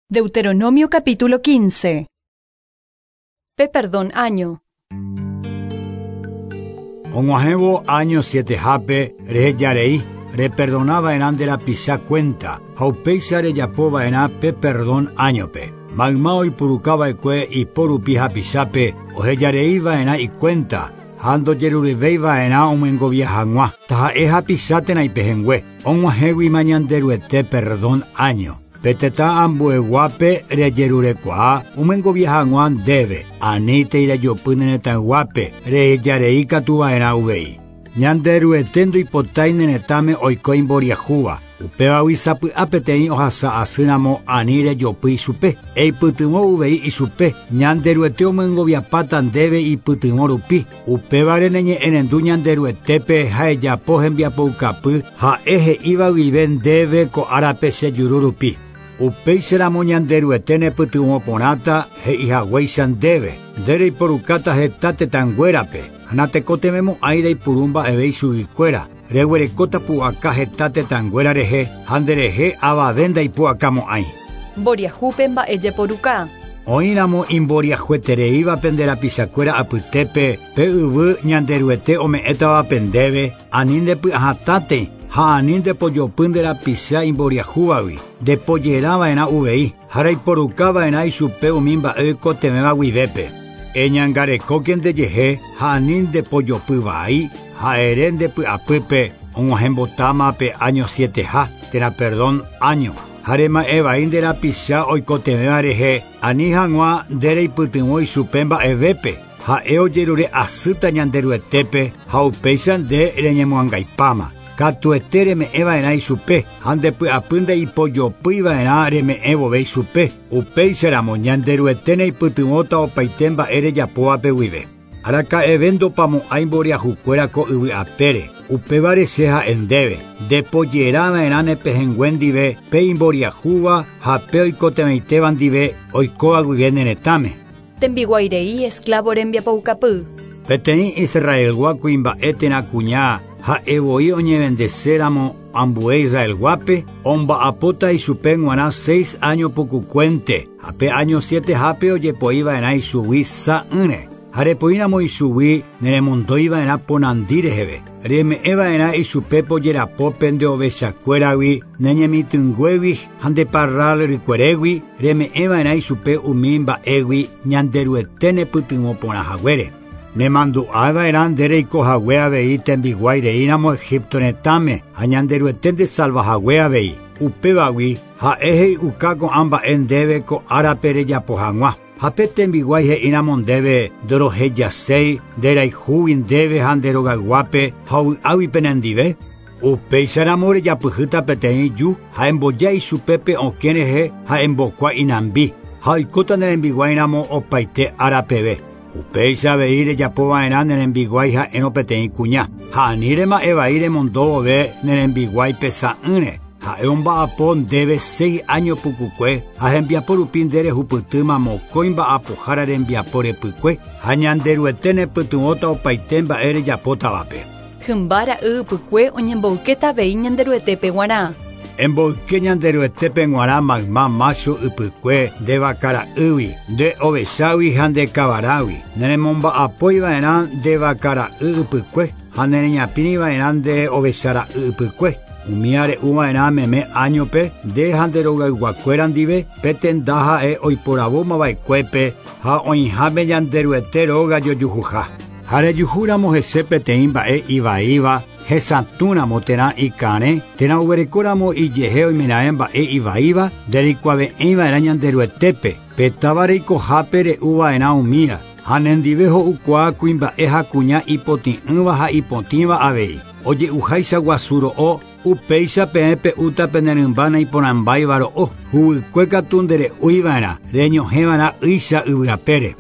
Deuteronomio capítulo 15. Pe perdón año. Og̃uahẽvo áño sietehápe rehejarei, reperdonava'erã nde rapicha kuénta ha upéicha rejapova'erã pe perdón áñope. Mayma oipurukava'ekue ipo rupi hapichápe ohejareiva'erã ikuénta ha ndojerureveiva'erã omyengovia hag̃ua, taha'e hapicha térã ipehẽngue, og̃uahẽguima Ñanderuete perdón áño. Pe tetã ambueguápe rejerurekuaa omyengovia hag̃ua ndéve, anítei rejopy ne retãyguápe, rehejarei katu va'erã uvei. Ñanderuete ndoipotái ne retãme oiko imboriahúva, upévagui sapy'a peteĩ ohasa asýramo ani rejopy ichupe, eipytyvõ uvei ichupe, Ñanderuete omyengoviapáta ndéve ipytyvõ rupi, upévare neñe'ẽrendu Ñanderuetépe ha ejapo hembiapoukapy ha'e he'íva guive ndéve ko árape che juru rupi. Upéicharamo Ñanderuete nepytyvõ porãta he'ihaguéicha ndéve, nde reiporukáta heta tetãnguérape, ha natekotevẽmo'ãi reipuru mba'eve ichuguikuéra, reguerekóta pu'aka heta tetãnguéra rehe ha nderehe avave ndaipu'akamo'ãi. Mboriahúpe mba'e jeporuka. Oĩramo imboriahuetereíva pende rapichakuéra apytépe pe yvy Ñanderuete ome'ẽtavape ndéve, ani ndepy'ahatãtei ha ani ndepojopy nde rapicha imboriahúvagui, ndepojerava'erã uvei ha reiporukava'erã ichupe umi mba'e oikotevẽva guivépe. Eñangarekóke ndejehe ha ani ndepojopy vai ha ere nde py'apýpe og̃uahẽmbotáma pe áño sieteha térã perdón áño. Ha rema'ẽ vai nde rapicha oikotevẽva rehe ani hag̃ua nde reipytyvõ ichupe mba'evépe, ha'e ojerure asýta Ñanderuetépe ha upéicha nde reñemoangaipáma. Katuete reme'ẽva'erã ichupe ha nde py'apy ndeipojopýiva'erã reme'ẽ vove ichupe, upéicharamo Ñanderuete neipytyvõta opaite mba'e rejapóvape guive. Araka'eve ndopamo'ãi mboriahukuéra ko yvy apére, upévare che ha'e ndéve, ndepojerava'erã ne pehẽngue ndive pe imboriahúva ha pe oikotevẽitéva ndive oikóva guive ne retãme. Tembiguairei esclavo rembiapoukapy. Peteĩ Israelgua kuimba'e térã kuña ha'e voi oñevendeséramo ambue Israelguápe, omba'apóta ichupe g̃uarã seis áño pukukuénte ha pe áño sietehápe ojepoiva'erã ichugui sa'ỹre. Ha repoíramo ichugui neremondóiva'erã ponandi reheve, reme'ẽva'erã ichupe pojerapópe nde ovechakuéragui, ne ñemitỹnguégui ha nde parral rykuerégui, reme'ẽva'erã ichupe umi mba'égui Ñanderuete nepytyvõ porã haguére. Nemandu'ava'erã nde reikohague avei tembiguái reíramo Egipto retãme ha Ñanderuete ndesalvahague avei. Upévagui ha'e he'iuka ko'ã mba'e ndéve ko árape rejapo hag̃ua. Ha pe tembiguái he'íramo ndéve ndorohejaséi nderayhúgui ndéve ha nde rogayguápe ha ovy'águi penendive, upéicharamo rejapyhýta peteĩ ju ha emboja ichupe pe okẽ rehe ha embokua inambi, ha oikóta ne rembiguáiramo opaite ára peve. Upéicha avei rejapova'erã ne rembiguái ha'érõ peteĩ kuña, ha ani rema'ẽ vai remondo vove ne rembiguái pesa'ỹre, ha'e omba'apo ndéve seis áño pukukue ha hembiapo rupi nde rehupytýma mokõi mba'apohára rembiapo repykue ha Ñanderuete nepytyvõta opaite mba'e rejapótavape. Hymba ra'y ypykue oñemboykéta avei Ñanderuetépe g̃uarã. Emboyke Ñanderuetépe g̃uarã mayma mácho ypykue nde vaka ra'ýgui, nde ovechágui ha nde kavarágui. Neremomba'apói va'erã nde vaka ra'y ypykue ha nereñapĩri va'erã nde ovecha ra'y ypykue. Umía re'u va'erã meme áñope nde ha nde rogayguakuéra ndive pe tenda ha'e oiporavómava'ekuépe ha oĩháme Ñanderuete róga jojuhuha. Ha rejuhúramo hese peteĩ mba'e ivaíva, hesatũramo térã ikarẽ, térã oguerekóramo ijehe oimeraẽ mba'e ivaíva, ndereikuave'ẽiva'erã Ñanderuetépe, pe táva reikohápe re'uva'erã umíva, ha nendive ho'ukuaa kuimba'e ha kuña ipotĩ'ỹva ha ipotĩva avei. Oje'uháicha guasu ro'o, upéicha peẽ pe'úta pene rymba naiporãmbáiva ro'o, huguykue katu ndere'úiva'erã, reñohẽva'erã ýicha yvyapére.